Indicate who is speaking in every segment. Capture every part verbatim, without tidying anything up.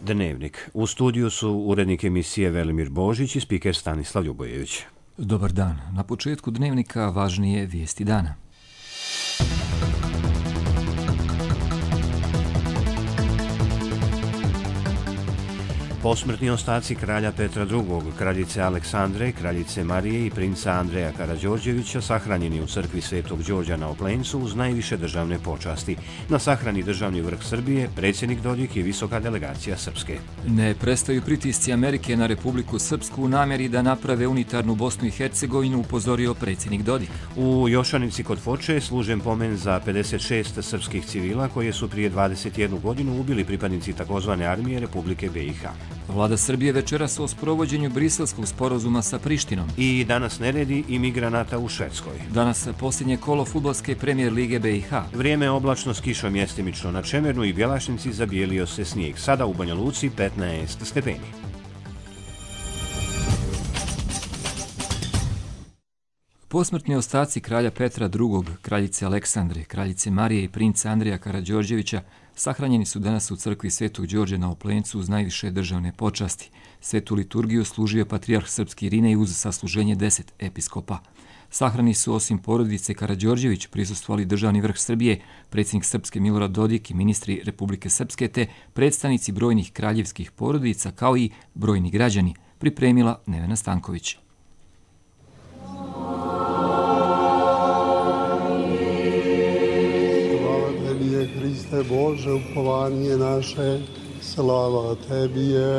Speaker 1: Dnevnik. U studiju su urednik emisije Velimir Božić i spiker Stanislav Ljubojević.
Speaker 2: Dobar dan. Na početku Dnevnika važnije vijesti dana.
Speaker 1: Posmrtni ostaci kralja Petra drugog, kraljice Aleksandre, kraljice Marije i princa Andreja Karađorđevića sahranjeni u crkvi Svetog Đorđa na Oplencu uz najviše državne počasti. Na sahrani državni vrh Srbije, predsjednik Dodik i visoka delegacija Srpske.
Speaker 2: Ne prestaju pritisci Amerike na Republiku Srpsku u namjeri da naprave unitarnu Bosnu i Hercegovinu, upozorio predsjednik Dodik.
Speaker 1: U Jošanici kod Foče služen pomen za pedeset šest srpskih civila koje su prije dvadeset jednu godinu ubili pripadnici takozvane armije Republike B i H.
Speaker 2: Vlada Srbije večeras o sprovođenju briselskog sporazuma sa Prištinom.
Speaker 1: I danas neredi imigranata u Švedskoj.
Speaker 2: Danas posljednje kolo fudbalske premijer lige B i H.
Speaker 1: Vrijeme oblačno s kišom mjestimično na Čemernu i Bjelašnici, zabijelio se snijeg. Sada u Banja Luci petnaest stepeni.
Speaker 2: Posmrtni ostaci kralja Petra drugog, kraljice Aleksandre, kraljice Marije i princa Andreja Karađorđevića sahranjeni su danas u crkvi Svetog Đorđa na Oplencu uz najviše državne počasti. Svetu liturgiju služio patrijarh srpski Irinej uz sasluženje deset episkopa. Sahrani su osim porodice Karađorđević prisustvovali državni vrh Srbije, predsjednik Srpske Milorad Dodik i ministri Republike Srpske te predstavnici brojnih kraljevskih porodica kao i brojni građani, pripremila Nevena Stanković.
Speaker 3: Hriste Bože, upovanje naše, slava Tebi je.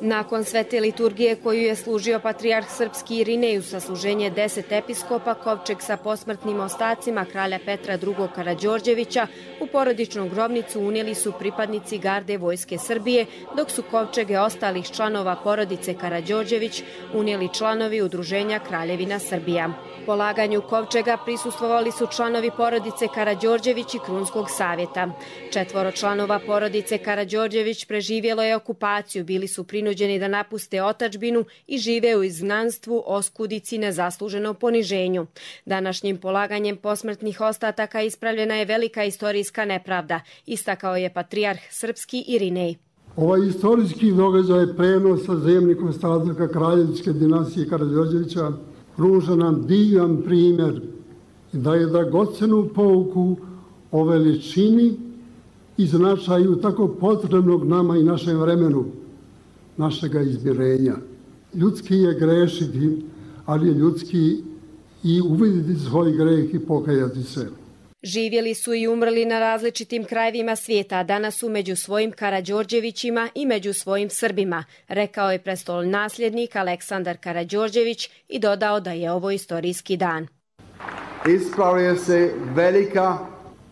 Speaker 4: Nakon svete liturgije koju je služio patrijarh srpski Irinej uz sasluženje deset episkopa, kovčeg sa posmrtnim ostacima kralja Petra drugog Karađorđevića u porodičnu grobnicu unijeli su pripadnici garde vojske Srbije, dok su kovčege ostalih članova porodice Karađorđević unijeli članovi udruženja Kraljevina Srbija. Polaganju kovčega prisustvovali su članovi porodice Karađorđević i Krunskog savjeta. Četvoro članova porodice Karađorđević preživjelo je okupaciju, bili su prinuđeni da napuste otadžbinu i žive u izgnanstvu, oskudici, nezasluženom poniženju. Današnjim polaganjem posmrtnih ostataka ispravljena je velika istorijska nepravda, istakao je patrijarh srpski Irinej.
Speaker 3: Ovaj istorijski događaj prenosa zemlji ostataka kraljevske dinastije Karađorđevića pruža nam divan primjer i daje dragocenu pouku o veličini i značaju tako potrebnog nama i našem vremenu, našega izmirenja. Ljudski je grešiti, ali je ljudski i uvidjeti svoj greh i pokajati se.
Speaker 4: Živjeli su i umrli na različitim krajevima svijeta, a danas su među svojim Karađorđevićima i među svojim Srbima, rekao je prestol nasljednik Aleksandar Karađorđević i dodao da je ovo istorijski dan.
Speaker 5: Ispravlja se velika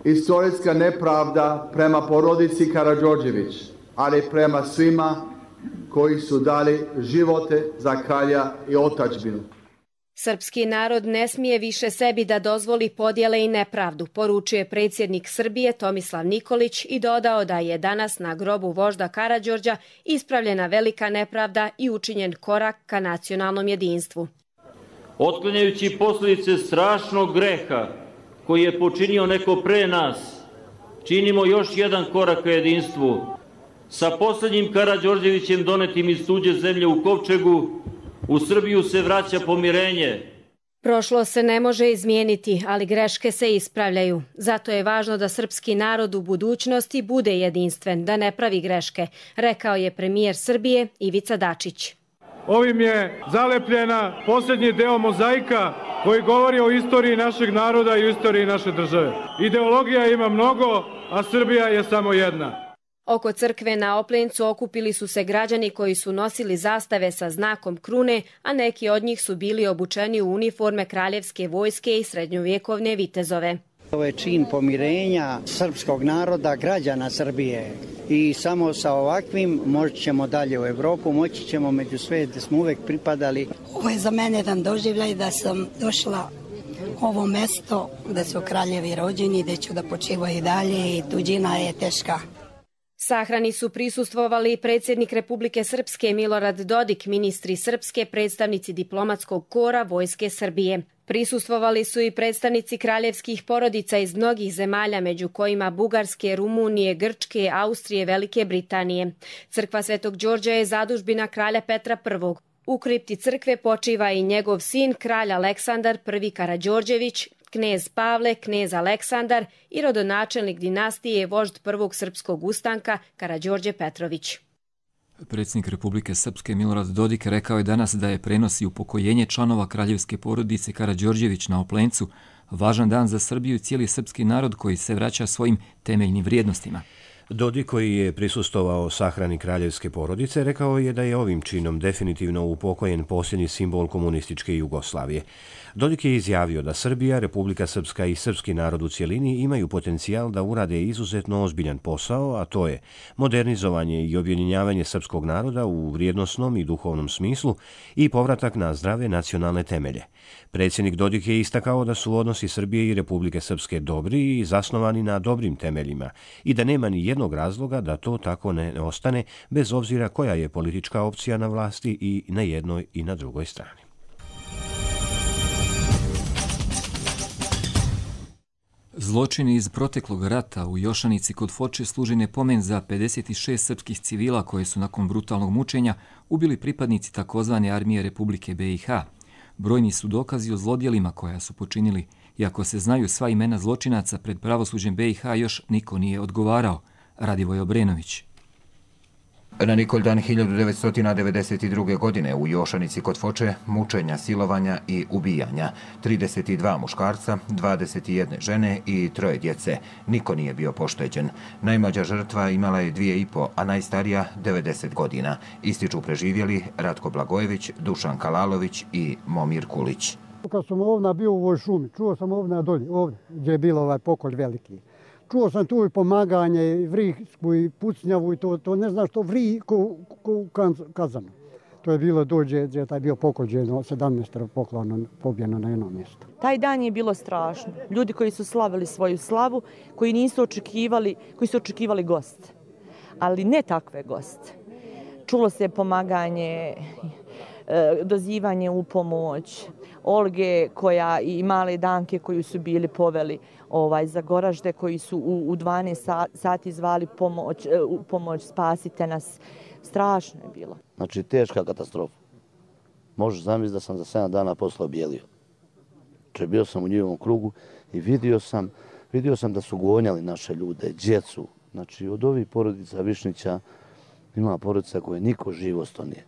Speaker 5: istorijska nepravda prema porodici Karađorđević, ali prema svima koji su dali živote za kralja i otadžbinu.
Speaker 4: Srpski narod ne smije više sebi da dozvoli podjele i nepravdu, poručuje predsjednik Srbije Tomislav Nikolić i dodao da je danas na grobu vožda Karađorđa ispravljena velika nepravda i učinjen korak ka nacionalnom jedinstvu.
Speaker 6: Otklanjajući posljedice strašnog greha koji je počinio neko pre nas, činimo još jedan korak ka jedinstvu. Sa posljednjim Karađorđevićem donetim iz tuđe zemlje u kovčegu, u Srbiju se vraća pomirenje.
Speaker 4: Prošlo se ne može izmijeniti, ali greške se ispravljaju. Zato je važno da srpski narod u budućnosti bude jedinstven, da ne pravi greške, rekao je premijer Srbije Ivica Dačić.
Speaker 7: Ovim je zalepljena posljednji deo mozaika koji govori o istoriji našeg naroda i istoriji naše države. Ideologija ima mnogo, a Srbija je samo jedna.
Speaker 4: Oko crkve na Oplencu okupili su se građani koji su nosili zastave sa znakom krune, a neki od njih su bili obučeni u uniforme kraljevske vojske i srednjovjekovne vitezove.
Speaker 8: Ovo je čin pomirenja srpskog naroda, građana Srbije i samo sa ovakvim moći ćemo dalje u Evropu, moći ćemo među sve gdje smo uvek pripadali.
Speaker 9: Ovo je za mene jedan doživljaj da sam došla ovo mesto gdje su kraljevi rođeni, gdje ću da počivaju dalje i tuđina je teška.
Speaker 4: Sahrani su prisustvovali predsjednik Republike Srpske Milorad Dodik, ministri Srpske, predstavnici diplomatskog kora Vojske Srbije. Prisustvovali su i predstavnici kraljevskih porodica iz mnogih zemalja, među kojima Bugarske, Rumunije, Grčke, Austrije, Velike Britanije. Crkva Svetog Đorđa je zadužbina kralja Petra Prvog. U kripti crkve počiva i njegov sin, kralj Aleksandar Prvi Karađorđević, knez Pavle, knez Aleksandar i rodonačelnik dinastije vožd Prvog srpskog ustanka Karađorđe Petrović.
Speaker 2: Predsjednik Republike Srpske Milorad Dodik rekao je danas da je prenosi upokojenje članova kraljevske porodice Karađorđević na Oplencu važan dan za Srbiju i cijeli srpski narod koji se vraća svojim temeljnim vrijednostima.
Speaker 1: Dodik, koji je prisustvovao sahrani kraljevske porodice, rekao je da je ovim činom definitivno upokojen posljednji simbol komunističke Jugoslavije. Dodik je izjavio da Srbija, Republika Srpska i srpski narod u cjelini imaju potencijal da urade izuzetno ozbiljan posao, a to je modernizovanje i objedinjavanje srpskog naroda u vrijednosnom i duhovnom smislu i povratak na zdrave nacionalne temelje. Predsjednik Dodik je istakao da su odnosi Srbije i Republike Srpske dobri i zasnovani na dobrim temeljima i da nema ni jednog razloga da to tako ne ostane, bez obzira koja je politička opcija na vlasti i na jednoj i na drugoj strani.
Speaker 2: Zločini iz proteklog rata u Jošanici kod Foče služi nepomen za pedeset šest srpskih civila koje su nakon brutalnog mučenja ubili pripadnici takozvane armije Republike B i H. Brojni su dokazi o zlodjelima koja su počinili, iako se znaju sva imena zločinaca, pred pravosuđem B i H još niko nije odgovarao. Radivoj Obrenović.
Speaker 10: Na Nikoldan hiljadu devetsto devedeset druge. godine u Jošanici kod Foče mučenja, silovanja i ubijanja. trideset dva muškarca, dvadeset jedna žene i troje djece. Niko nije bio pošteđen. Najmlađa žrtva imala je dvije i po, a najstarija devedeset godina. Ističu preživjeli Ratko Blagojević, Dušan Kalalović i Momir Kulić.
Speaker 3: Kad sam ovdje bio u ovoj šumi, čuo sam ovdje dolje, ovdje gdje je bilo ovaj pokolj veliki. Čuo sam tu i pomaganje, i vrisku, i pucnjavu, i to, to ne znam što vri ko, ko u kazanu. To je bilo dođe, gdje je taj bio pokođeno, sedamnaest poklano, pobjeno na jednom mjestu.
Speaker 11: Taj dan je bilo strašno. Ljudi koji su slavili svoju slavu, koji nisu očekivali, koji su očekivali goste. Ali ne takve goste. Čulo se pomaganje, dozivanje u pomoć, Olge koja i male Danke koji su bili poveli ovaj, za Goražde, koji su u, u dvanaest sati zvali pomoć, u pomoć, spasite nas. Strašno je bilo.
Speaker 12: Znači, teška katastrofa. Možeš zamisliti da sam za sedam dana posle objelio. Znači, bio sam u njihovom krugu i vidio sam, vidio sam da su gonjali naše ljude, djecu. Znači, od ovih porodica Višnića ima porodica koje niko živosto nije.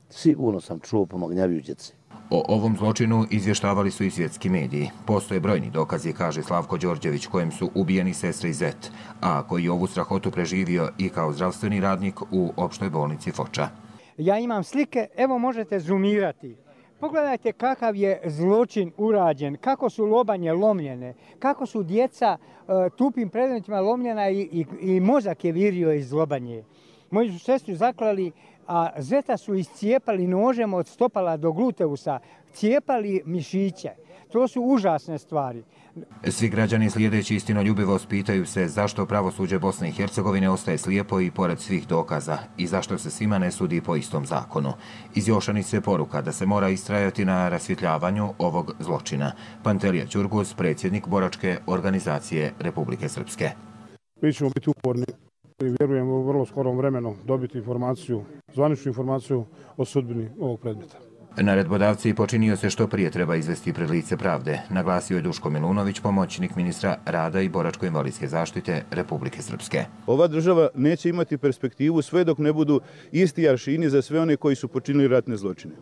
Speaker 12: Sigurno sam čuo pomagnjaviju djeci.
Speaker 10: O ovom zločinu izvještavali su i svjetski mediji. Postoje brojni dokazi, kaže Slavko Đorđević, kojem su ubijeni sestre i zet, a koji je ovu strahotu preživio i kao zdravstveni radnik u opštoj bolnici Foča.
Speaker 13: Ja imam slike, evo možete zoomirati. Pogledajte kakav je zločin urađen, kako su lobanje lomljene, kako su djeca uh, tupim predmetima lomljena i, i, i mozak je virio iz lobanje. Moji su sestru zaklali, a zeta su iscijepali nožem od stopala do gluteusa, cijepali mišiće. To su užasne stvari.
Speaker 10: Svi građani slijedeći istinoljubivost pitaju se zašto pravosuđe Bosne i Hercegovine ostaje slijepo i pored svih dokaza i zašto se svima ne sudi po istom zakonu. Iz Jošanice poruka da se mora istrajati na rasvjetljavanju ovog zločina. Pantelija Ćurgus, predsjednik boračke organizacije Republike Srpske.
Speaker 14: Mi ćemo biti uporni i vjerujem u vrlo skorom vremenu dobiti informaciju, zvaničnu informaciju o sudbini ovog predmeta.
Speaker 10: Naredbodavci počinio se što prije treba izvesti pred lice pravde, naglasio je Duško Milunović, pomoćnik ministra rada i boračko-invalidske zaštite Republike Srpske.
Speaker 15: Ova država neće imati perspektivu sve dok ne budu isti aršini za sve one koji su počinili ratne zločine.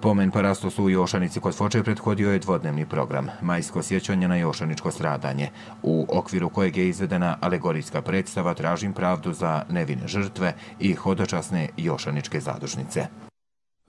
Speaker 10: Pomen parastosu u Jošanici kod Foče prethodio je dvodnevni program, majsko sjećanje na jošaničko stradanje, u okviru kojeg je izvedena alegorijska predstava Tražim pravdu za nevine žrtve i hodočasne jošaničke zadužnice.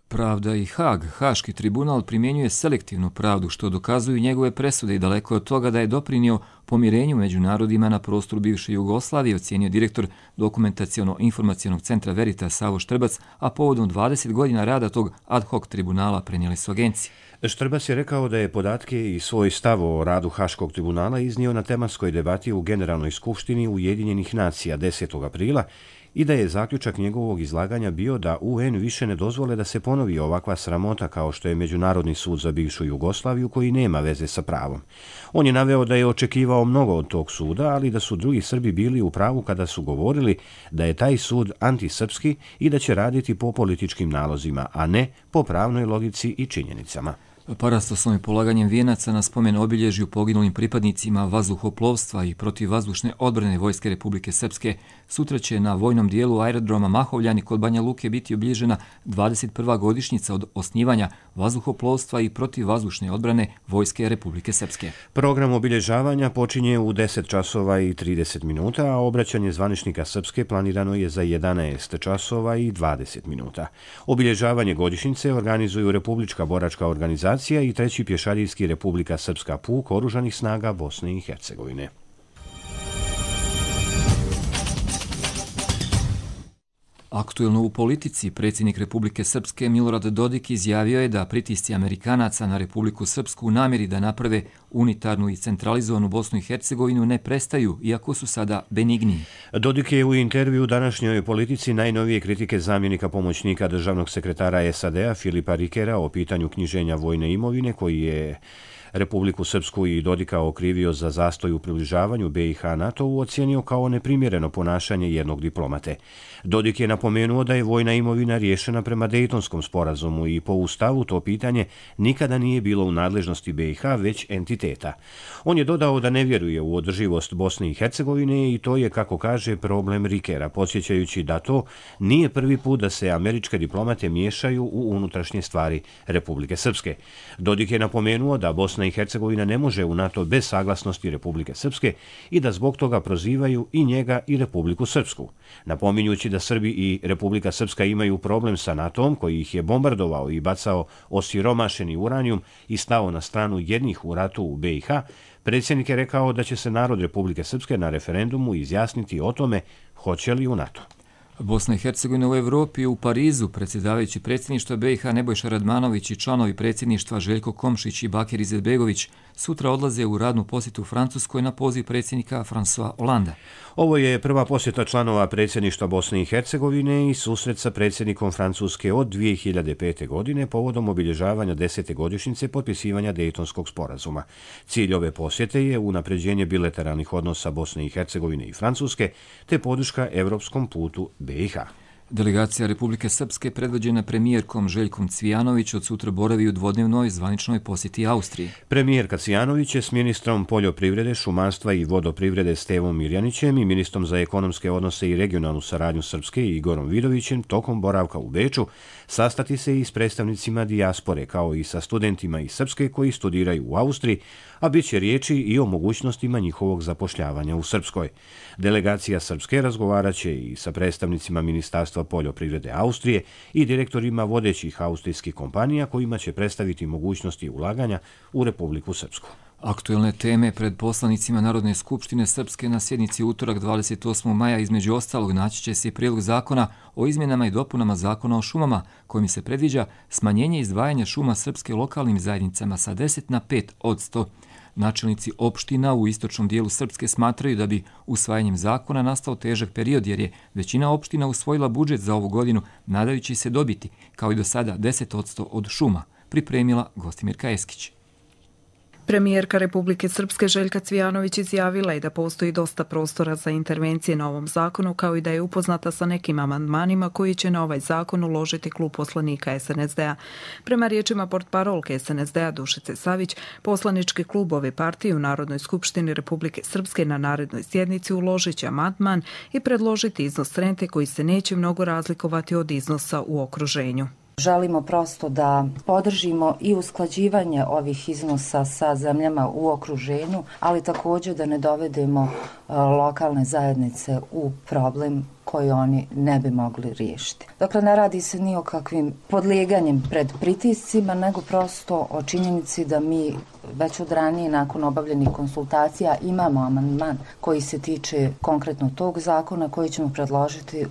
Speaker 2: Pravda i Haag, Haški tribunal, primjenjuje selektivnu pravdu, što dokazuju njegove presude i daleko od toga da je doprinio pomirenju među narodima na prostoru bivše Jugoslavije, ocijenio direktor dokumentaciono-informacionog centra Veritas Savo Štrbac, a povodom dvadeset godina rada tog ad hoc tribunala prenijeli su agencije.
Speaker 1: Štrbac je rekao da je podatke i svoj stav o radu Haškog tribunala iznio na tematskoj debati u Generalnoj skupštini Ujedinjenih nacija desetog aprila i da je zaključak njegovog izlaganja bio da U N više ne dozvole da se ponovi ovakva sramota kao što je Međunarodni sud za bivšu Jugoslaviju koji nema veze sa pravom. On je naveo da je očekivao mnogo od tog suda, ali da su drugi Srbi bili u pravu kada su govorili da je taj sud antisrpski i da će raditi po političkim nalozima, a ne po pravnoj logici i činjenicama.
Speaker 2: Parastoslovnim polaganjem vijenaca na spomen obilježju poginulim pripadnicima vazduhoplovstva i protivvazdušne odbrane Vojske Republike Srpske sutra će na vojnom dijelu aerodroma Mahovljani kod Banja Luke biti obilježena dvadeset prva godišnjica od osnivanja vazduhoplovstva i protivvazdušne odbrane Vojske Republike Srpske.
Speaker 1: Program obilježavanja počinje u deset časova i trideset minuta, a obraćanje zvaničnika Srpske planirano je za jedanaest časova i dvadeset minuta. Obilježavanje godišnjice organizuju Republička boračka organizacija i treći pješadijski Republika Srpska puk Oružanih snaga Bosne i Hercegovine.
Speaker 2: Aktuelno u politici, predsjednik Republike Srpske Milorad Dodik izjavio je da pritisci Amerikanaca na Republiku Srpsku u namjeri da naprave unitarnu i centralizovanu Bosnu i Hercegovinu ne prestaju, iako su sada benigni.
Speaker 1: Dodik je u intervju današnjoj politici najnovije kritike zamjenika pomoćnika državnog sekretara S A D-a Filipa Rikera o pitanju knjiženja vojne imovine koji je Republiku Srpsku i Dodika okrivio za zastoj u približavanju B i H NATO-u ocijenio kao neprimjereno ponašanje jednog diplomate. Dodik je napomenuo da je vojna imovina riješena prema Dejtonskom sporazumu i po Ustavu to pitanje nikada nije bilo u nadležnosti B i H, već entiteta. On je dodao da ne vjeruje u održivost Bosne i Hercegovine i to je, kako kaže, problem Rikera, podsjećajući da to nije prvi put da se američke diplomate miješaju u unutrašnje stvari Republike Srpske. Dodik je napomenuo da Bosna i Hercegovina ne može u NATO bez saglasnosti Republike Srpske i da zbog toga prozivaju i njega i Republiku Srpsku. Napominjući da Srbi i Republika Srpska imaju problem sa NATO-om koji ih je bombardovao i bacao osiromašeni uranijum i stao na stranu jednih u ratu u B i H, predsjednik je rekao da će se narod Republike Srpske na referendumu izjasniti o tome hoće li u NATO.
Speaker 2: Bosna i Hercegovina u Evropi u Parizu, predsjedavajući predsjedništva B i H Nebojša Radmanović i članovi predsjedništva Željko Komšić i Bakir Izetbegović sutra odlaze u radnu posjetu Francuskoj na poziv predsjednika François Hollanda.
Speaker 1: Ovo je prva posjeta članova predsjedništva Bosne i Hercegovine i susret sa predsjednikom Francuske od dvije hiljade pete. godine povodom obilježavanja desete godišnjice potpisivanja Dejtonskog sporazuma. Cilj ove posjete je unapređenje bilateralnih odnosa Bosne i Hercegovine i Francuske te podrška evropskom putu B i H.
Speaker 2: Delegacija Republike Srpske predvođena premijerkom Željkom Cvijanović od sutra boravi u dvodnevnoj zvaničnoj posjeti Austriji.
Speaker 1: Premijerka Cvijanović je s ministrom poljoprivrede, šumarstva i vodoprivrede Stevom Mirjanićem i ministrom za ekonomske odnose i regionalnu saradnju Srpske Igorom Vidovićem tokom boravka u Beču sastati se i s predstavnicima dijaspore kao i sa studentima iz Srpske koji studiraju u Austriji, a bit će riječi i o mogućnostima njihovog zapošljavanja u Srpskoj. Delegacija Srpske razgovarat će i sa predstavnicima Ministarstva poljoprivrede Austrije i direktorima vodećih austrijskih kompanija kojima će predstaviti mogućnosti ulaganja u Republiku Srpsku.
Speaker 2: Aktuelne teme pred poslanicima Narodne skupštine Srpske na sjednici utorak dvadeset osmog maja između ostalog naći će se prijedlog zakona o izmjenama i dopunama zakona o šumama kojim se predviđa smanjenje izdvajanja šuma Srpske lokalnim zajednicama sa deset na pet odsto. Načelnici opština u istočnom dijelu Srpske smatraju da bi usvajanjem zakona nastao težak period jer je većina opština usvojila budžet za ovu godinu nadajući se dobiti, kao i do sada, deset odsto od šuma, pripremila Gostimirka Eskić.
Speaker 16: Premijerka Republike Srpske Željka Cvijanović izjavila je da postoji dosta prostora za intervencije na ovom zakonu, kao i da je upoznata sa nekim amandmanima koji će na ovaj zakon uložiti klub poslanika S N S D-a. Prema riječima portparolke S N S D-a Dušice Savić, poslanički klubovi partije u Narodnoj skupštini Republike Srpske na narednoj sjednici uložit će amandman i predložiti iznos rente koji se neće mnogo razlikovati od iznosa u okruženju.
Speaker 17: Želimo prosto da podržimo i usklađivanje ovih iznosa sa zemljama u okruženju, ali također da ne dovedemo lokalne zajednice u problem koji oni ne bi mogli riješiti. Dakle, ne radi se ni o kakvim podlijeganjem pred pritiscima, nego prosto o činjenici da mi već od ranije nakon obavljenih konsultacija imamo amandman koji se tiče konkretno tog zakona koji ćemo predložiti.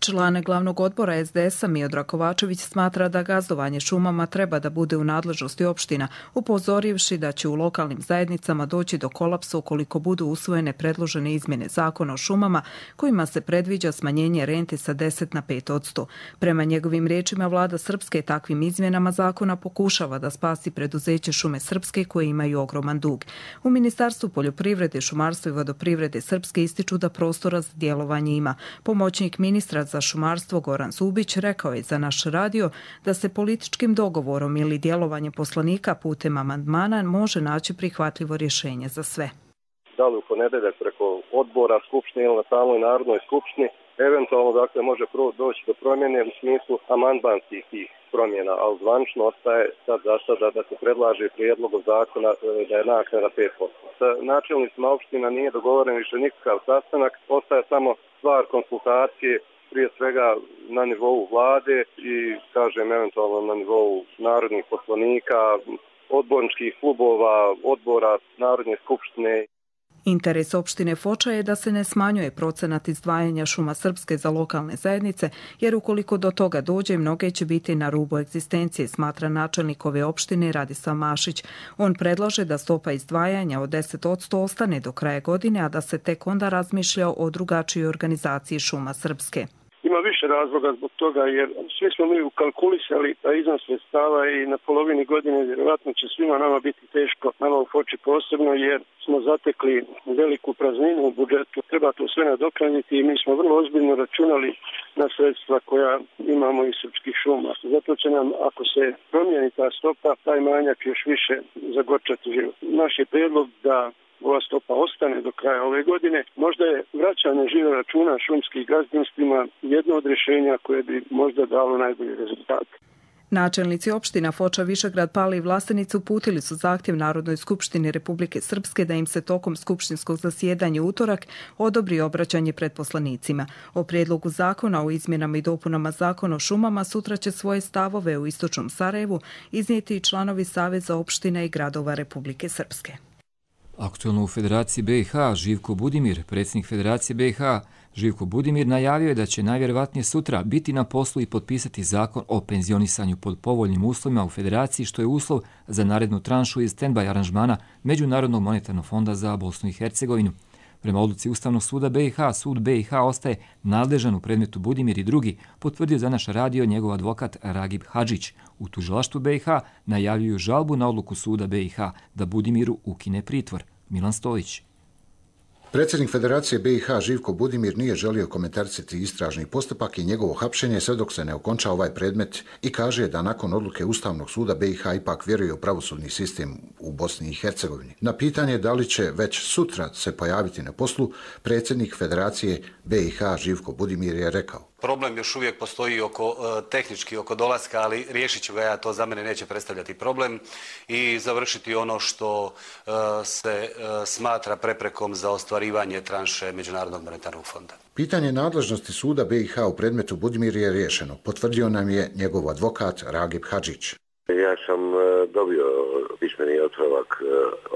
Speaker 16: Član glavnog odbora es de es a Miodrag Kovačević smatra da gazdovanje šumama treba da bude u nadležnosti opština, upozorivši da će u lokalnim zajednicama doći do kolapsa ukoliko budu usvojene predložene izmjene zakona o šumama kojima se predviđa smanjenje rente sa deset na pet posto. Prema njegovim riječima, vlada Srpske takvim izmjenama zakona pokušava da spasi preduzeće Šume Srpske koje imaju ogroman dug. U Ministarstvu poljoprivrede, šumarstva i vodoprivrede Srpske ističu da prostora za djelovanje ima. Pomoćnik ministra za šumarstvo Goran Zubić rekao je za naš radio da se političkim dogovorom ili djelovanjem poslanika putem amandmana može naći prihvatljivo rješenje za sve.
Speaker 18: Da li u ponedeljak preko odbora Skupštine ili na samoj Narodnoj skupštini, eventualno dakle može doći do promjene u smislu amandmanskih tih promjena, ali zvanično ostaje sad za sada da se predlaže prijedlogom zakona da je naknada pet posto. Sa načelnicima opština nije dogovoren više nikakav sastanak, ostaje samo stvar konsultacije, prije svega na nivou vlade i, kažem, eventualno na nivou narodnih poslanika, odborničkih klubova, odbora Narodne skupštine.
Speaker 16: Interes opštine Foča je da se ne smanjuje procenat izdvajanja Šuma Srpske za lokalne zajednice, jer ukoliko do toga dođe, mnoge će biti na rubu egzistencije, smatra načelnik ove opštine Radislav Mašić. On predlaže da stopa izdvajanja od deset posto ostane do kraja godine, a da se tek onda razmišlja o drugačijoj organizaciji Šuma Srpske.
Speaker 19: Ima više razloga zbog toga, jer svi smo mi ukalkulisali taj iznos sredstava i na polovini godine vjerojatno će svima nama biti teško, nama u Foči posebno, jer smo zatekli veliku prazninu u budžetu. Treba to sve nadoknaditi i mi smo vrlo ozbiljno računali na sredstva koja imamo iz Srpskih šuma. Zato će nam, ako se promijeni ta stopa, taj manjak još više zagorčati život. Naš je prijedlog da ova stopa ostane do kraja ove godine. Možda je vraćanje žiro računa šumskih gazdinstvima jedno od rješenja koje bi možda dalo najbolji rezultat.
Speaker 16: Načelnici opština Foča, Višegrad, Pali i Vlasenica uputili su zahtjev Narodnoj skupštini Republike Srpske da im se tokom skupštinskog zasjedanja u utorak odobri obraćanje pred poslanicima. O prijedlogu zakona o izmjenama i dopunama zakona o šumama sutra će svoje stavove u istočnom Sarajevu iznijeti i članovi Saveza opština i gradova Republike Srpske.
Speaker 2: Aktualno u Federaciji be i ha Živko Budimir, predsjednik Federacije be i ha, Živko Budimir najavio je da će najvjerovatnije sutra biti na poslu i potpisati zakon o penzionisanju pod povoljnim uslovima u Federaciji, što je uslov za narednu tranšu iz stand-by aranžmana Međunarodnog monetarnog fonda za Bosnu i Hercegovinu. Prema odluci Ustavnog suda be i ha, sud be i ha ostaje nadležan u predmetu Budimir i drugi, potvrdio za naš radio njegov advokat Ragib Hadžić. U tužilaštvu be i ha najavljuju žalbu na odluku suda be i ha da Budimiru ukine pritvor. Milan Stojić.
Speaker 20: Predsjednik Federacije be i ha Živko Budimir nije želio komentarisati istražni postupak i njegovo hapšenje sve dok se ne okonča ovaj predmet i kaže da nakon odluke Ustavnog suda be i ha ipak vjeruje u pravosudni sistem u Bosni i Hercegovini. Na pitanje da li će već sutra se pojaviti na poslu, predsjednik Federacije be i ha Živko Budimir je rekao:
Speaker 21: Problem još uvijek postoji oko tehnički oko dolaska, ali riješit ću ga ja, to za mene neće predstavljati problem i završiti ono što se smatra preprekom za ostvarivanje tranše Međunarodnog monetarnog fonda.
Speaker 20: Pitanje nadležnosti suda be i ha u predmetu Budimir je riješeno, potvrdio nam je njegov advokat Ragib Hadžić.
Speaker 22: Ja sam dobio pismeni otpravak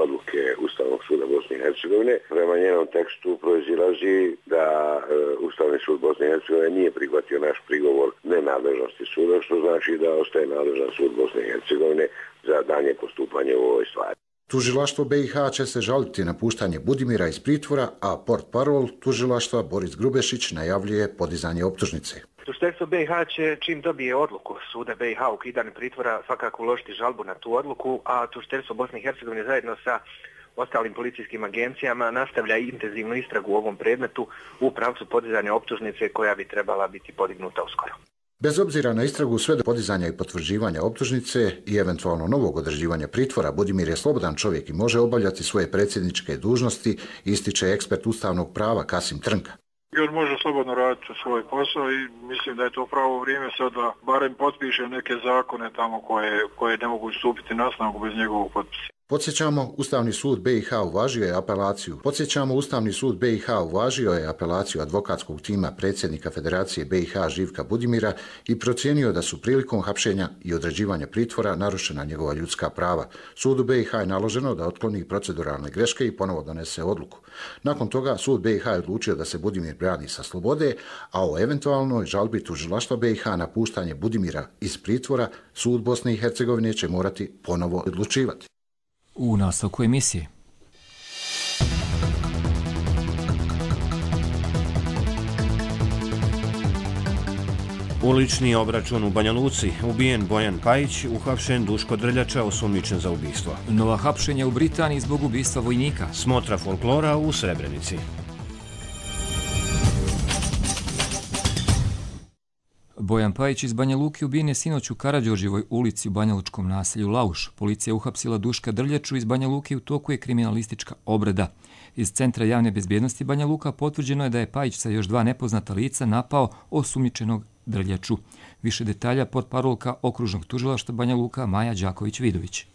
Speaker 22: odluke Ustavnog suda Bosne i Hercegovine. Prema njenom tekstu proizilazi da Ustavni sud Bosne i Hercegovine nije prihvatio naš prigovor nenadležnosti suda, što znači da ostaje nadležan sud Bosne i Hercegovine za dalje postupanje u ovoj stvari.
Speaker 20: Tužilaštvo be i ha će se žaliti na puštanje Budimira iz pritvora, a portparol tužilaštva Boris Grubešić najavljuje podizanje optužnice.
Speaker 23: Tužiteljstvo be i ha će, čim dobije odluku suda be i ha o ukidanju pritvora, svakako uložiti žalbu na tu odluku, a tužiteljstvo Bosne i Hercegovine zajedno sa ostalim policijskim agencijama nastavlja intenzivnu istragu u ovom predmetu u pravcu podizanja optužnice koja bi trebala biti podignuta uskoro.
Speaker 20: Bez obzira na istragu sve do podizanja i potvrđivanja optužnice i eventualno novog određivanja pritvora, Budimir je slobodan čovjek i može obavljati svoje predsjedničke dužnosti, ističe ekspert ustavnog prava Kasim Trnka.
Speaker 24: I on može slobodno raditi svoj posao i mislim da je to pravo vrijeme sad da barem potpiše neke zakone tamo koje, koje ne mogu stupiti na snagu bez njegovog potpisa.
Speaker 20: Podsjećamo, Ustavni sud B i H uvažio je apelaciju. Podsjećamo, Ustavni sud B i H uvažio je apelaciju advokatskog tima predsjednika Federacije B i H Živka Budimira i procijenio da su prilikom hapšenja i određivanja pritvora narušena njegova ljudska prava. Sudu B i H je naloženo da otkloni proceduralne greške i ponovo donese odluku. Nakon toga sud B i H je odlučio da se Budimir brani sa slobode, a o eventualnoj žalbi tužilaštva B i H na puštanje Budimira iz pritvora sud Bosne i Hercegovine će morati ponovo odlučivati.
Speaker 2: U nastavku emisije.
Speaker 1: Ulični obračun u Banja Luci. Ubijen Bojan Pajić, uhapšen Duško Drljača, osumnjičen za ubistvo.
Speaker 2: Nova hapšenja u Britaniji zbog ubistva vojnika.
Speaker 1: Smotra folklora u Srebrenici.
Speaker 2: Bojan Pajić iz Banja Luke ubijen je sinoć u Karađorđevoj ulici u banjalučkom naselju Lauš. Policija je uhapsila Duška Drljaču iz Banja Luke, u toku je kriminalistička obrada. Iz Centra javne bezbjednosti Banja Luka potvrđeno je da je Pajić sa još dva nepoznata lica napao osumnjičenog Drljaču. Više detalja portparolka okružnog tužilaštva Banja Luka Maja Đaković-Vidović.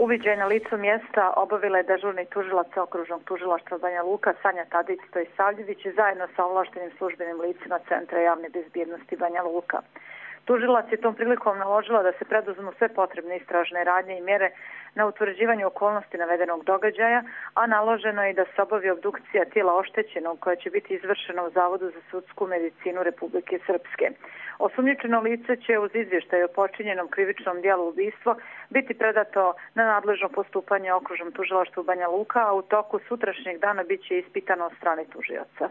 Speaker 5: Uviđaj na licu mjesta obavila je dežurni tužilac okružnog tužilaštva Banja Luka Sanja Tadić-Stojsavljević zajedno sa ovlaštenim službenim licima Centra javne bezbjednosti Banja Luka. Tužilac je tom prilikom naložila da se preduzmu sve potrebne istražne radnje i mjere na utvrđivanju okolnosti navedenog događaja, a naloženo je i da se obavi obdukcija tijela oštećenog koja će biti izvršena u Zavodu za sudsku medicinu Republike Srpske. Osumnjičeno lice će uz izvještaj o počinjenom krivičnom djelu ubistva biti predato na nadležno postupanje okružnom tužilaštvu Banja Luka, a u toku sutrašnjeg dana bit će ispitano od strane tužioca.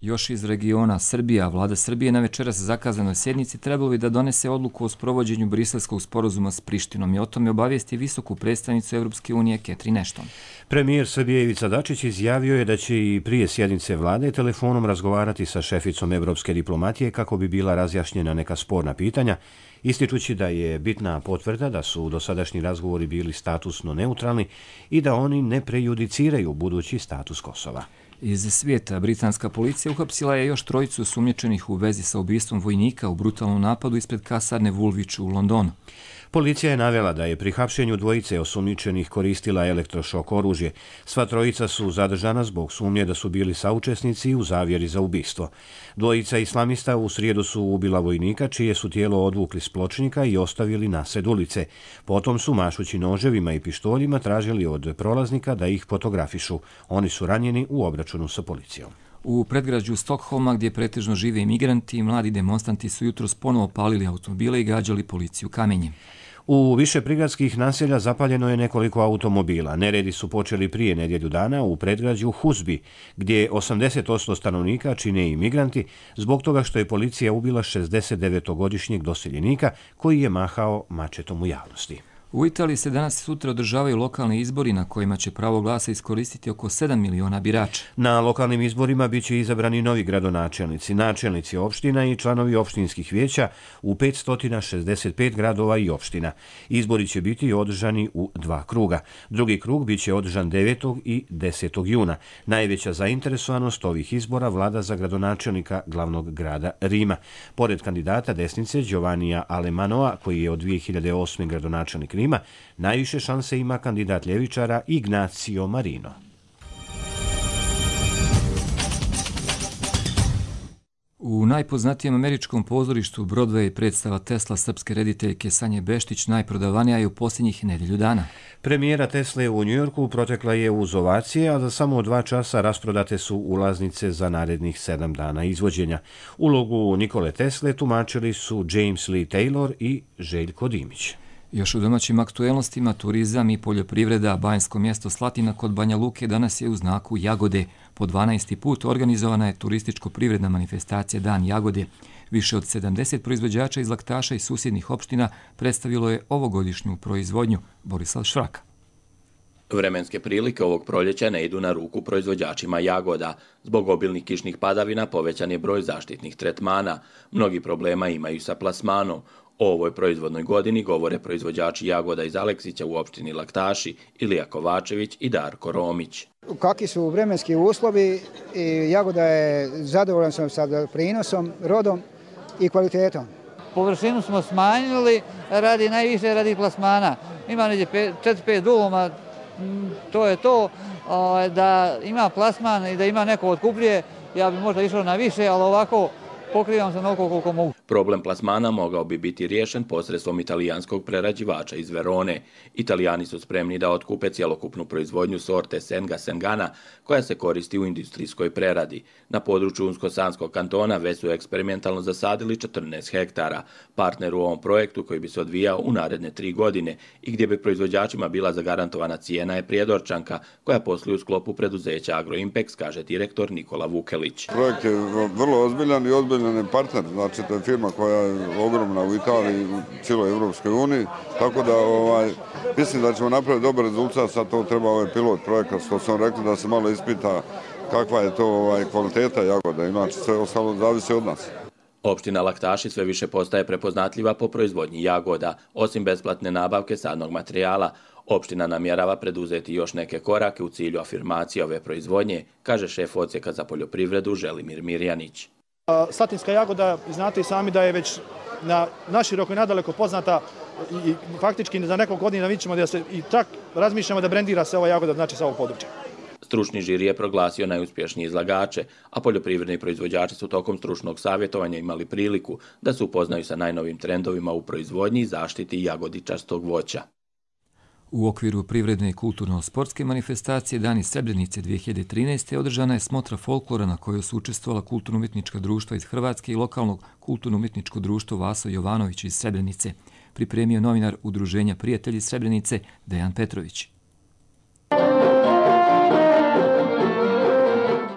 Speaker 2: Još iz regiona Srbija, vlada Srbije na večeras zakazanoj sjednici trebalo bi da donese odluku o sprovođenju briselskog sporazuma s Prištinom i o tome obavijesti visoku predstavnicu Evropske unije Catherine Ashton.
Speaker 1: Premijer Srbije Ivica Dačić izjavio je da će i prije sjednice vlade telefonom razgovarati sa šeficom evropske diplomatije kako bi bila razjašnjena neka sporna pitanja, ističući da je bitna potvrda da su dosadašnji razgovori bili statusno neutralni i da oni ne prejudiciraju budući status Kosova.
Speaker 2: Iz svijeta, britanska policija uhapsila je još trojicu osumnjičenih u vezi sa ubistvom vojnika u brutalnom napadu ispred kasarne Woolwich u Londonu.
Speaker 1: Policija je navela da je pri hapšenju dvojice osumnjičenih koristila elektrošok oružje. Sva trojica su zadržana zbog sumnje da su bili saučesnici u zavjeri za ubistvo. Dvojica islamista u srijedu su ubila vojnika, čije su tijelo odvukli s pločnika i ostavili nasred ulice. Potom su, mašući noževima i pištoljima, tražili od prolaznika da ih fotografišu. Oni su ranjeni u obračunu sa policijom.
Speaker 2: U predgrađu Stokholma, gdje pretežno žive imigranti, mladi demonstranti su jutros ponovo palili automobile i gađali policiju kamenjem.
Speaker 1: U više prigradskih naselja zapaljeno je nekoliko automobila. Neredi su počeli prije nedjelju dana u predgrađu Husby, gdje osamdeset posto stanovnika čine imigranti zbog toga što je policija ubila šezdesetdevetogodišnjeg doseljenika koji je mahao mačetom u javnosti.
Speaker 2: U Italiji se danas i sutra održavaju lokalni izbori na kojima će pravo glasa iskoristiti oko sedam miliona birača.
Speaker 1: Na lokalnim izborima bit će izabrani novi gradonačelnici, načelnici opština i članovi opštinskih vijeća u petsto šezdeset pet gradova i opština. Izbori će biti održani u dva kruga. Drugi krug bit će održan devetog i desetog juna. Najveća zainteresovanost ovih izbora vlada za gradonačelnika glavnog grada Rima. Pored kandidata desnice Giovannija Alemanoa, koji je od dvije hiljade osme gradonačelnik Rima, najviše šanse ima kandidat ljevičara Ignacio Marino.
Speaker 2: U najpoznatijem američkom pozorištu Broadway predstava Tesla srpske rediteljke Sanje Beštić najprodavanija je u posljednjih nedjelju dana.
Speaker 1: Premijera Tesle u Njujorku protekla je uz ovacije, a za samo dva časa rasprodate su ulaznice za narednih sedam dana izvođenja. Ulogu Nikole Tesle tumačili su James Lee Taylor i Željko Dimić.
Speaker 2: Još u domaćim aktuelnostima, turizam i poljoprivreda, banjsko mjesto Slatina kod Banja Luke danas je u znaku Jagode. Po dvanaesti put organizovana je turističko-privredna manifestacija Dan Jagode. Više od sedamdeset proizvođača iz Laktaša i susjednih opština predstavilo je ovogodišnju proizvodnju. Borislav Švraka.
Speaker 6: Vremenske prilike ovog proljeća ne idu na ruku proizvođačima jagoda. Zbog obilnih kišnih padavina povećan je broj zaštitnih tretmana. Mnogi problema imaju sa plasmanom. O ovoj proizvodnoj godini govore proizvođači jagoda iz Aleksića u opštini Laktaši, Ilija Kovačević i Darko Romić.
Speaker 7: Kakvi su vremenski uslovi, jagoda je zadovoljan sam sa prinosom, rodom i kvalitetom.
Speaker 8: Površinu smo smanjili radi najviše radi plasmana.
Speaker 3: ima negdje četiri pet duluma, to je to, da ima plasman i da ima neko otkupljuje, ja bi možda išao na više, ali ovako pokrivam se onoliko koliko mogu.
Speaker 6: Problem plasmana mogao bi biti riješen posredstvom italijanskog prerađivača iz Verone. Italijani su spremni da otkupe cjelokupnu proizvodnju sorte Senga Sengana, koja se koristi u industrijskoj preradi. Na području Unsko-Sanskog kantona već su eksperimentalno zasadili četrnaest hektara. Partner u ovom projektu, koji bi se odvijao u naredne tri godine i gdje bi proizvođačima bila zagarantovana cijena, je Prijedorčanka, koja posluje u sklopu preduzeća Agroimpex, kaže direktor Nikola Vukelić.
Speaker 4: Projekt je vrlo ozbiljan i ozbiljan je partner, znači to je firma koja je ogromna u Italiji, u cijeloj Europskoj uniji, tako da ovaj, mislim da ćemo napraviti dobar rezultat, sad to treba ovaj pilot projekat, što sam rekli da se malo ispita kakva je to ovaj, kvaliteta jagoda, inače sve ostalo zavisi od nas.
Speaker 6: Opština Laktaši sve više postaje prepoznatljiva po proizvodnji jagoda. Osim besplatne nabavke sadnog materijala, opština namjerava preduzeti još neke korake u cilju afirmacije ove proizvodnje, kaže šef odsjeka za poljoprivredu Želimir Mirjanić.
Speaker 8: Slatinska jagoda, znate i sami da je već na naširoko i nadaleko poznata i faktički za nekog godina vidimo da se i čak razmišljamo da brendira se ova jagoda, znači sa ovog područja.
Speaker 6: Stručni žiri je proglasio najuspješnije izlagače, a poljoprivredni proizvođači su tokom stručnog savjetovanja imali priliku da se upoznaju sa najnovim trendovima u proizvodnji i zaštiti jagodičastog voća.
Speaker 2: U okviru privredne i kulturno-sportske manifestacije Dani Srebrenice dvije hiljade trinaeste. održana je smotra folklora na kojoj su učestvovala kulturno-umjetnička društva iz Hrvatske i lokalnog kulturno-umjetničko društvo Vaso Jovanović iz Srebrenice, pripremio novinar Udruženja Prijatelji Srebrenice Dejan Petrović.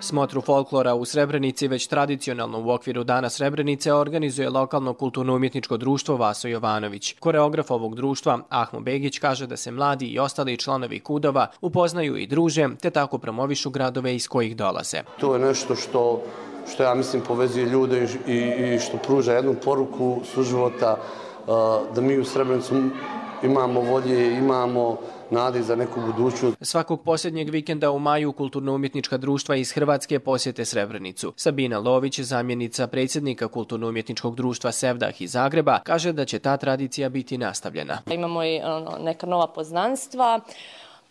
Speaker 9: Smotru folklora u Srebrenici već tradicionalno u okviru Dana Srebrenice organizuje lokalno kulturno-umjetničko društvo Vaso Jovanović. Koreograf ovog društva Ahmo Begić kaže da se mladi i ostali članovi kudova upoznaju i druže, te tako promovišu gradove iz kojih dolaze.
Speaker 25: To je nešto što, što ja mislim povezuje ljude i, i što pruža jednu poruku suživota, da mi u Srebrenicu imamo volje, imamo nade za neku budućnost.
Speaker 9: Svakog posljednjeg vikenda u maju kulturno-umjetnička društva iz Hrvatske posjete Srebrenicu. Sabina Lović, zamjenica predsjednika kulturno-umjetničkog društva Sevdah iz Zagreba, kaže da će ta tradicija biti nastavljena.
Speaker 26: Imamo i ono, neka nova poznanstva.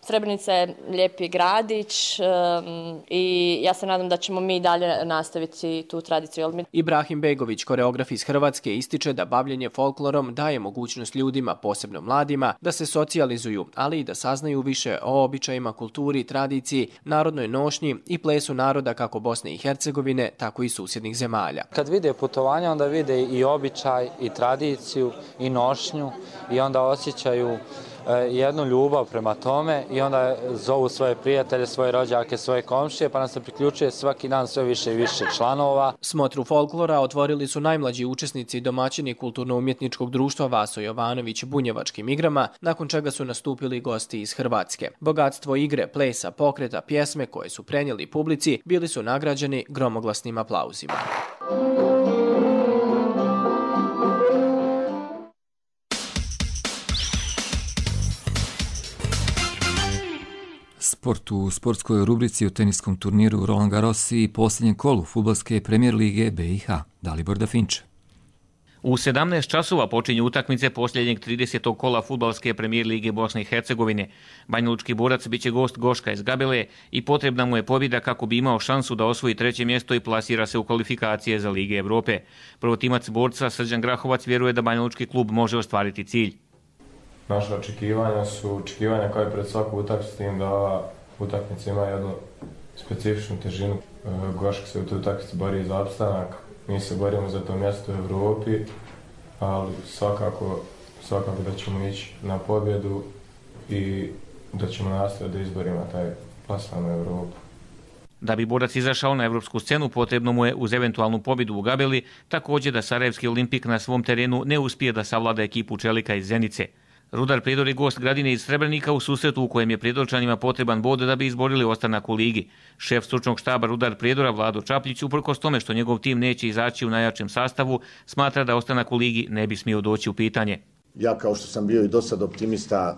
Speaker 26: Srebrenica je lijepi gradić um, i ja se nadam da ćemo mi dalje nastaviti tu tradiciju.
Speaker 9: Ibrahim Begović, koreograf iz Hrvatske, ističe da bavljenje folklorom daje mogućnost ljudima, posebno mladima, da se socijalizuju, ali i da saznaju više o običajima, kulturi, tradiciji, narodnoj nošnji i plesu naroda kako Bosne i Hercegovine, tako i susjednih zemalja.
Speaker 27: Kad vide putovanja, onda vide i običaj, i tradiciju, i nošnju, i onda osjećaju jednu ljubav prema tome i onda zovu svoje prijatelje, svoje rođake, svoje komšije, pa nam se priključuje svaki dan sve više i više članova.
Speaker 9: Smotru folklora otvorili su najmlađi učesnici i domaćini kulturno-umjetničkog društva Vaso Jovanović bunjevačkim igrama, nakon čega su nastupili gosti iz Hrvatske. Bogatstvo igre, plesa, pokreta, pjesme koje su prenijeli publici bili su nagrađeni gromoglasnim aplauzima.
Speaker 2: Sport u sportskoj rubrici o teniskom turniru Roland Garros i posljednjem kolu fudbalske premijer lige B i H. Dalibor Dafinče.
Speaker 28: U sedamnaest časova počinju utakmice posljednjeg tridesetog kola fudbalske premijer lige Bosne i Hercegovine. Banjalučki borac biće gost Goška iz Gabele i potrebna mu je pobjeda kako bi imao šansu da osvoji treće mjesto i plasira se u kvalifikacije za Lige Evrope. Prvotimac borca Srđan Grahovac vjeruje da banjalučki klub može ostvariti cilj.
Speaker 29: Naše očekivanja su očekivanja kao i pred svaku utakmicu, s tim da utakmica ima jednu specifičnu težinu. Goška se u toj utakmici bori za opstanak, mi se borimo za to mjesto u Evropi, ali svakako, svakako da ćemo ići na pobjedu i da ćemo nastaviti da izborimo taj plasman u Evropu.
Speaker 28: Da bi borac izašao na evropsku scenu, potrebno mu je uz eventualnu pobjedu u Gabeli također da Sarajevski Olimpik na svom terenu ne uspije da savlada ekipu Čelika iz Zenice. Rudar Prijedor je gost Gradine iz Srebrenika u susretu u kojem je Prijedorčanima potreban bod da bi izborili ostanak u ligi. Šef stručnog štaba Rudar Prijedora Vlado Čapljić, uprkos tome što njegov tim neće izaći u najjačem sastavu, smatra da ostanak u ligi ne bi smio doći u pitanje.
Speaker 30: Ja kao što sam bio i do sad optimista,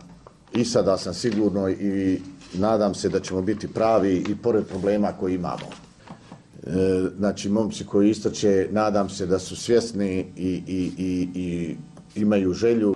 Speaker 30: i sada sam sigurno i nadam se da ćemo biti pravi i pored problema koji imamo. E, znači, momci koji istoče, nadam se da su svjesni i, i, i, i imaju želju.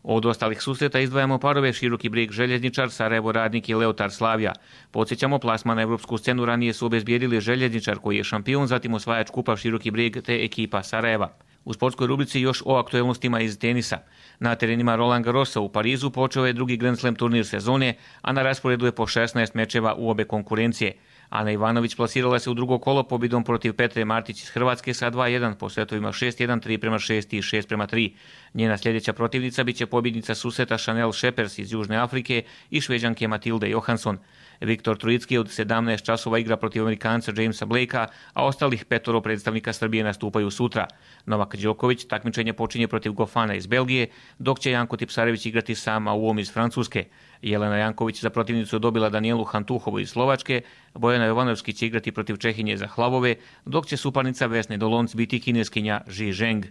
Speaker 28: Od ostalih susreta izdvajamo parove Široki Brijeg Željezničar, Sarajevo Radnik i Leotar Slavija. Podsjećamo, plasman na evropsku scenu ranije su obezbijedili Željezničar koji je šampion, zatim osvajač kupa Široki Brijeg te ekipa Sarajeva. U sportskoj rubrici još o aktuelnostima iz tenisa. Na terenima Roland Garrosa u Parizu počeo je drugi Grand Slam turnir sezone, a na rasporedu je po šesnaest mečeva u obe konkurencije. Ana Ivanović plasirala se u drugo kolo pobjedom protiv Petre Martić iz Hrvatske sa dva jedan po setovima šest jedan, tri prema šest i šest prema tri. Njena sljedeća protivnica biće pobjednica susreta Chanel Shepers iz Južne Afrike i Šveđanke Matilde Johansson. Viktor Trojicki od sedamnaest časova igra protiv Amerikanca Jamesa Blakea, a ostalih petoro predstavnika Srbije nastupaju sutra. Novak Đoković takmičenje počinje protiv Gofana iz Belgije, dok će Janko Tipsarević igrati sam Aouom iz Francuske. Jelena Janković za protivnicu dobila Danijelu Hantuhovu iz Slovačke, Bojana Jovanovski će igrati protiv Čehinje za Hlavove, dok će suparnica Vesne Dolonc biti kineskinja Zhi Zheng.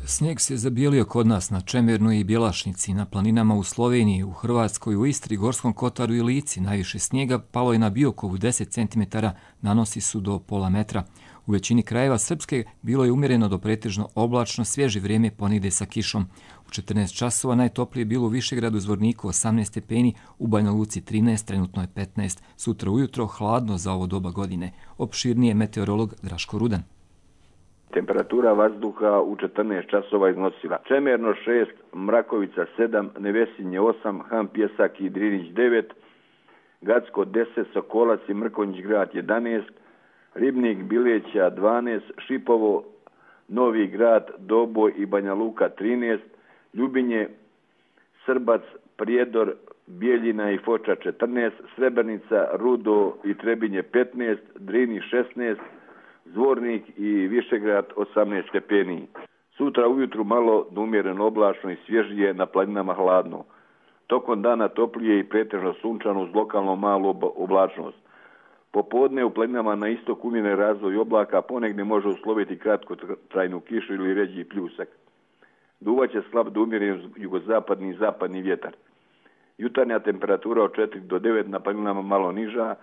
Speaker 2: Snijeg se zabijelio kod nas na Čemernoj i Bjelašnici, na planinama u Sloveniji, u Hrvatskoj, u Istri, Gorskom Kotaru i Lici. Najviše snijega palo je na Biokovu, deset centimetara, nanosi su do pola metra. U većini krajeva Srpske bilo je umjereno do pretežno oblačno, svježe vrijeme ponegdje sa kišom. U četrnaest časova najtoplije je bilo u Višegradu, Zvorniku osamnaest stepeni, u Banja Luci trinaest, trenutno je petnaest. Sutra ujutro hladno za ovo doba godine. Opširnije meteorolog Draško Rudan.
Speaker 10: Temperatura vazduha u četrnaest časova iznosila Čemerno šest, Mrakovica sedam, Nevesinje osam, Han Pjesak i Drinić devet, Gacko deset, Sokolac i Mrkonjić Grad jedanaest, Ribnik, Bileća dvanaest, Šipovo, Novi Grad, Doboj i Banja Luka trinaest, Ljubinje, Srbac, Prijedor, Bijeljina i Foča četrnaest, Srebrnica, Rudo i Trebinje petnaest, Drini šesnaest, Zvornik i Višegrad osamnaest stepeni. Sutra ujutru malo umjereno oblačno i svježije, na planinama hladno. Tokom dana toplije i pretežno sunčano uz lokalno malu oblačnost. Popodne u planinama na istok umjeren razvoj oblaka, ponegdje može usloviti kratkotrajnu kišu ili ređi pljusak. Duvaće slab do umjeren jugozapadni i zapadni vjetar. Jutarnja temperatura od četiri do devet, na planinama malo niža,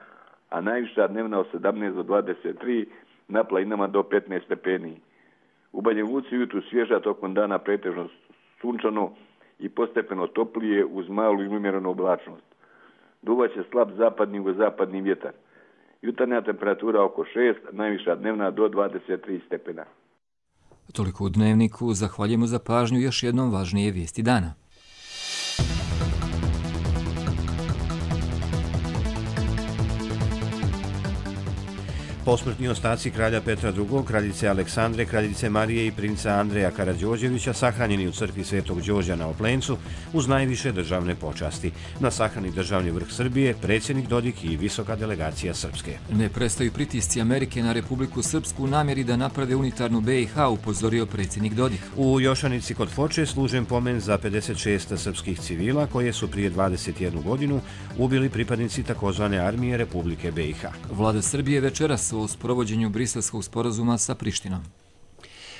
Speaker 10: a najviša dnevna od sedamnaest do dvadeset tri, na planinama do petnaest stepeni. U Banja Luci ujutru svježa, tokom dana pretežno sunčano i postepeno toplije uz malu i umjerenu oblačnost. Duvaće slab zapadni i zapadni vjetar. Jutarnja temperatura oko šest, najviša dnevna do dvadeset tri stepena.
Speaker 2: Toliko u Dnevniku, zahvaljujemo za pažnju, još jednom važnije vijesti dana.
Speaker 1: Posmrtni ostaci kralja Petra drugog, kraljice Aleksandre, kraljice Marije i princa Andreja Karađorđevića sahranjeni u crkvi Svetog Đorđa na Oplencu uz najviše državne počasti. Na sahrani državni vrh Srbije, predsjednik Dodik i visoka delegacija Srpske.
Speaker 2: Ne prestaju pritisci Amerike na Republiku Srpsku u namjeri da naprave unitarnu B i H, upozorio predsjednik Dodik.
Speaker 1: U Jošanici kod Foče služen pomen za pedeset šest srpskih civila koje su prije dvadeset jednu godinu ubili pripadnici takozvane armije Republike B i H.
Speaker 2: Vlada Srbije večeras o sprovođenju Briselskog sporazuma sa Prištinom.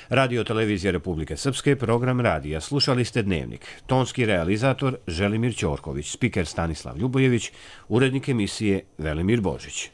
Speaker 1: Radio televizija Republike Srpske, program radija. Slušali ste Dnevnik. Tonski realizator Želimir Ćorković, spiker Stanislav Ljubojević, urednik emisije Velimir Božić.